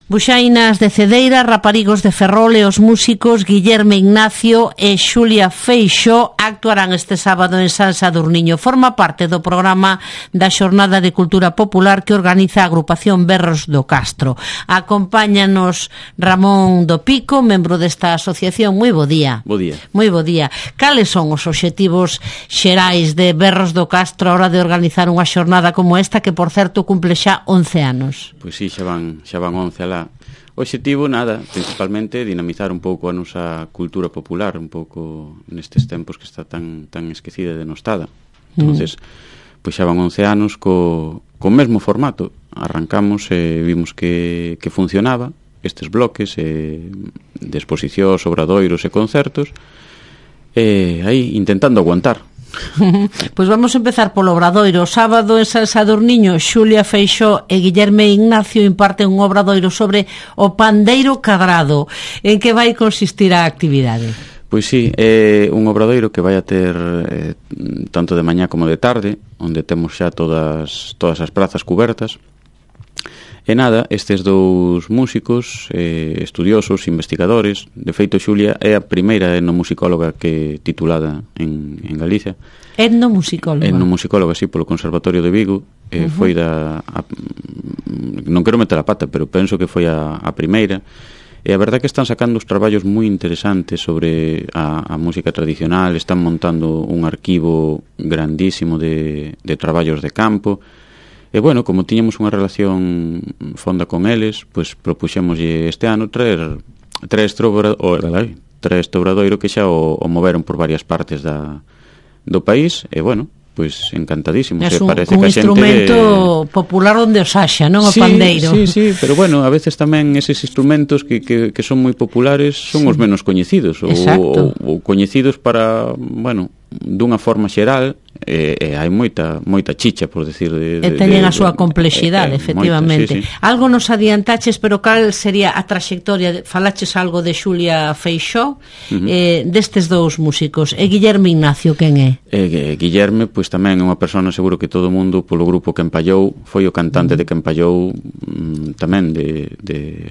Buxainas de Cedeira, Raparigos de Ferrol e os músicos Guillerme Ignacio e Xulia Feixó actuarán este sábado en San Sadurniño. Forma parte do programa da Xornada de Cultura Popular que organiza a agrupación Berros do Castro. Acompáñanos Ramón do Pico, membro desta asociación. Moi bo día. Bo día. Moi bo día. Cales son os obxectivos xerais de Berros do Castro a hora de organizar unha xornada como esta que, por certo, cumple xa 11 anos? Pois sí, xa van 11 alá. O obxectivo, nada, principalmente dinamizar un pouco a nosa cultura popular, un pouco nestes tempos que está tan esquecida e denostada. Entonces, pois xa van 11 anos co mesmo formato. Arrancamos e vimos que funcionaba estes bloques de exposicións, obradoiros e concertos, e aí intentando aguantar. Pois vamos empezar polo obradoiro. O sábado en San Sadurniño, Xulia Feixó e Guillerme Ignacio imparten un obradoiro sobre o pandeiro cadrado. En que vai consistir a actividade? Pois sí, é un obradoiro que vai a ter tanto de mañá como de tarde, onde temos xa todas as prazas cubertas. E nada, estes dous músicos, estudiosos, investigadores, de feito Xulia é a primeira etnomusicóloga que titulada en Galicia. Etnomusicóloga? Etnomusicóloga, sí, polo Conservatorio de Vigo. Foi non quero meter a pata, pero penso que foi a primeira. E a verdade é que están sacando os traballos moi interesantes sobre a música tradicional, están montando un arquivo grandísimo de traballos de campo. E, bueno, como tiñamos unha relación fonda con eles, pois propuxémoslle este ano traer este obradoiro que xa o moveron por varias partes do país, e, bueno, pois encantadísimos. É un instrumento popular onde os haxa, non? O pandeiro. Sí, pero, bueno, a veces tamén eses instrumentos que son moi populares son os menos coñecidos, ou coñecidos para, bueno, dunha forma xeral, e hai moita chicha, por decir, e teñen a súa complexidade, efectivamente. Moita, sí. Algo nos adiantaches, pero cal sería a traxectoria? Falaches algo de Xulia Feixó, destes dous músicos. E Guillerme Ignacio, quen é? Guillerme, pois tamén é unha persona, seguro que todo o mundo polo grupo que empallou, foi o cantante de que empallou tamén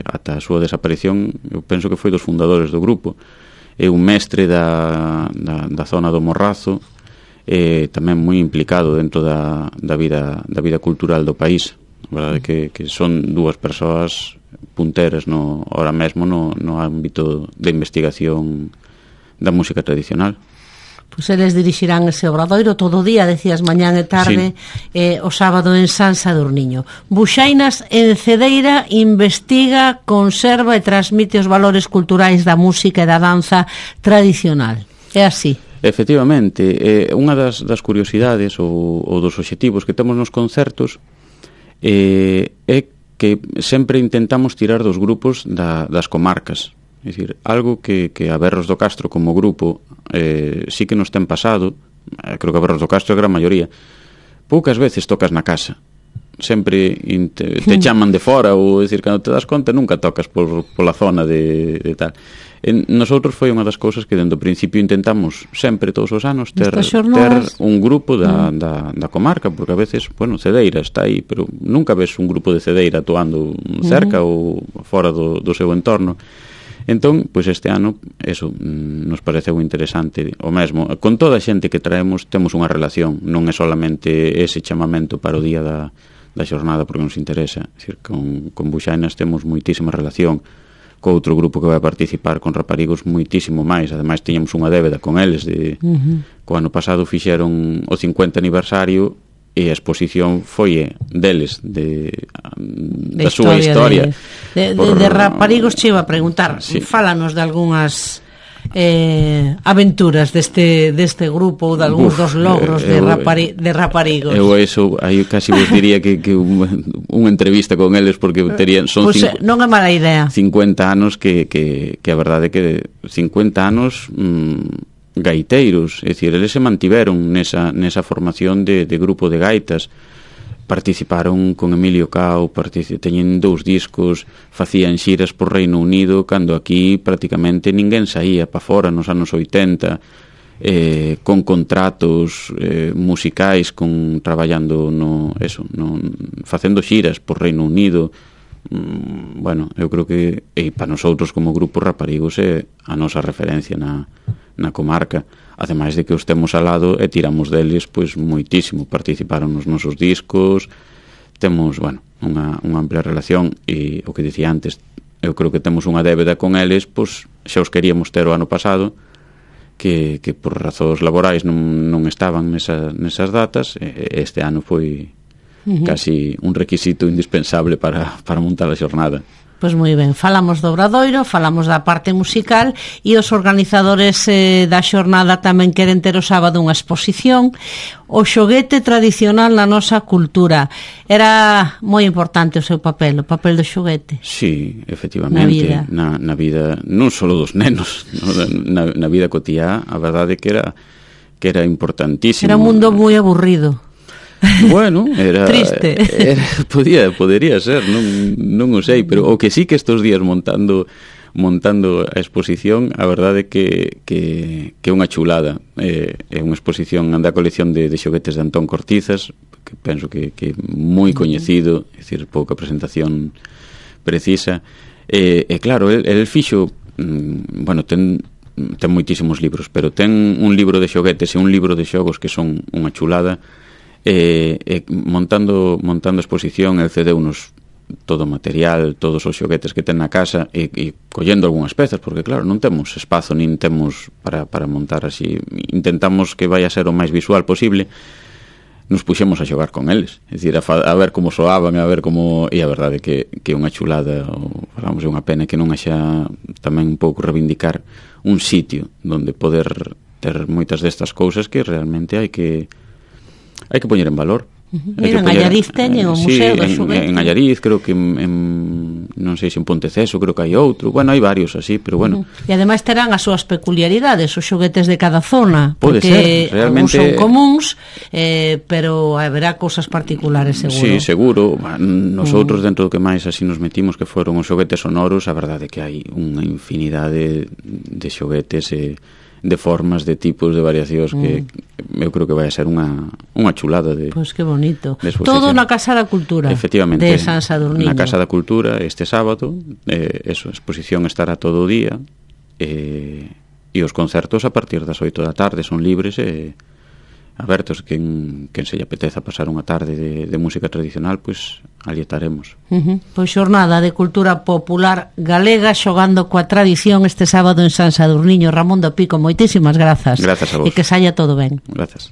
ata a súa desaparición. Eu penso que foi dos fundadores do grupo. É un mestre da zona do Morrazo, tamén moi implicado dentro da vida cultural do país. A verdade que son dúas persoas punteras ahora mesmo no ámbito de investigación da música tradicional. Pois eles dirixirán ese obradoiro todo o día, decías, mañán e tarde, sí. O sábado en San Sadurniño. Buxainas en Cedeira investiga, conserva e transmite os valores culturais da música e da danza tradicional. É así? Efectivamente, unha das curiosidades ou dos obxectivos que temos nos concertos é que sempre intentamos tirar dos grupos das comarcas. É dicir, algo que a Berros do Castro como grupo sí que nos ten pasado, creo que a Berros do Castro é a gran maioría, poucas veces tocas na casa, sempre te chaman de fora, ou decir, cando te das conta nunca tocas pola zona de tal. Nosotros foi unha das cousas que dende o principio intentamos sempre, todos os anos, ter un grupo da comarca, porque a veces, bueno, Cedeira está aí, pero nunca ves un grupo de Cedeira actuando cerca ou fora do seu entorno. Entón, pois este ano, eso nos pareceu interesante. O mesmo, con toda a xente que traemos temos unha relación, non é solamente ese chamamento para o día da xornada porque nos interesa. É dicir, con Buxainas temos moitísima relación, co outro grupo que vai participar, con Raparigos, moitísimo máis. Ademais, tiñamos unha débeda con eles co ano pasado fixeron o 50 aniversario e a exposición foi deles, da súa historia. De Raparigos che iba a preguntar, sí. Fálanos de algunhas aventuras deste grupo ou de algúns dos logros de Raparigos. Eu eso, aí casi vos diría que unha entrevista con eles, porque son non é mala idea. 50 anos que a verdade é que 50 anos gaiteiros, é dicir, eles se mantiveron nesa formación de grupo de gaitas, participaron con Emilio Cao, teñen 2 discos, facían xiras por Reino Unido, cando aquí prácticamente ninguén saía pa fora nos anos 80, con contratos musicais, traballando facendo xiras por Reino Unido, bueno, eu creo que para nosotros como grupo Raparigos é a nosa referencia na comarca, ademais de que os temos al lado e tiramos deles pois moitísimo, participaron nos nosos discos, temos, bueno, unha amplia relación, e o que dicía antes, eu creo que temos unha débeda con eles, pois xa os queríamos ter o ano pasado, que por razóns laborais non estaban nesas datas, e este ano foi casi un requisito indispensable para montar a xornada. Pois moi ben, falamos do Obradoiro, falamos da parte musical, e os organizadores da xornada tamén queren ter o sábado unha exposición, o xoguete tradicional na nosa cultura. Era moi importante o seu papel, o papel do xoguete. Sí, efectivamente, na vida non só dos nenos, na vida cotiá, a verdade que era importantísimo. Era un mundo moi aburrido. Bueno, era triste. Podería ser, non o sei, pero o que sí que estos días montando a exposición, a verdade que é unha chulada. É unha exposición da colección de xoguetes de Antón Cortizas, que penso que é moi coñecido, é dicir, pouca presentación precisa. E claro, el fixo, bueno, ten moitísimos libros, pero ten un libro de xoguetes e un libro de xogos que son unha chulada. Montando a exposición, el cedeunos todo o material, todos os xoguetes que ten na casa, e collendo algunhas pezas, porque claro, non temos espazo nin temos para montar así. Intentamos que vai a ser o máis visual posible. Nos puxemos a xogar con eles, é dicir, a ver como soaban, a ver como... E a verdade que é unha chulada, falamos, é unha pena que non haxa tamén un pouco reivindicar un sitio onde poder ter moitas destas cousas que realmente hai que poñer en valor. Mira, en Allariz teñen o Museo do Xoguete. En Allariz, creo que non sei se en Ponteceso, creo que hai outro. Bueno, hai varios así, pero bueno. E ademais terán as súas peculiaridades, os xoguetes de cada zona. Pode ser, realmente. Son comuns, pero haberá cousas particulares, seguro. Sí, seguro. Nosotros, dentro do que máis así nos metimos, que foron os xoguetes sonoros, a verdade é que hai unha infinidade de xoguetes de formas, de tipos, de variacións que eu creo que vai a ser unha chulada de... Pois que bonito. Todo na Casa da Cultura. Efectivamente. De San Sadurniño. Na Casa da Cultura este sábado, a exposición estará todo o día, e os concertos a partir das 8 da tarde son libres e abertos. Quen se lle apeteza pasar unha tarde de música tradicional, pois ali estaremos. Pois xornada de cultura popular galega xogando coa tradición este sábado en San Sadurniño. Ramón do Pico, moitísimas grazas. Grazas a vos. E que saia todo ben. Grazas.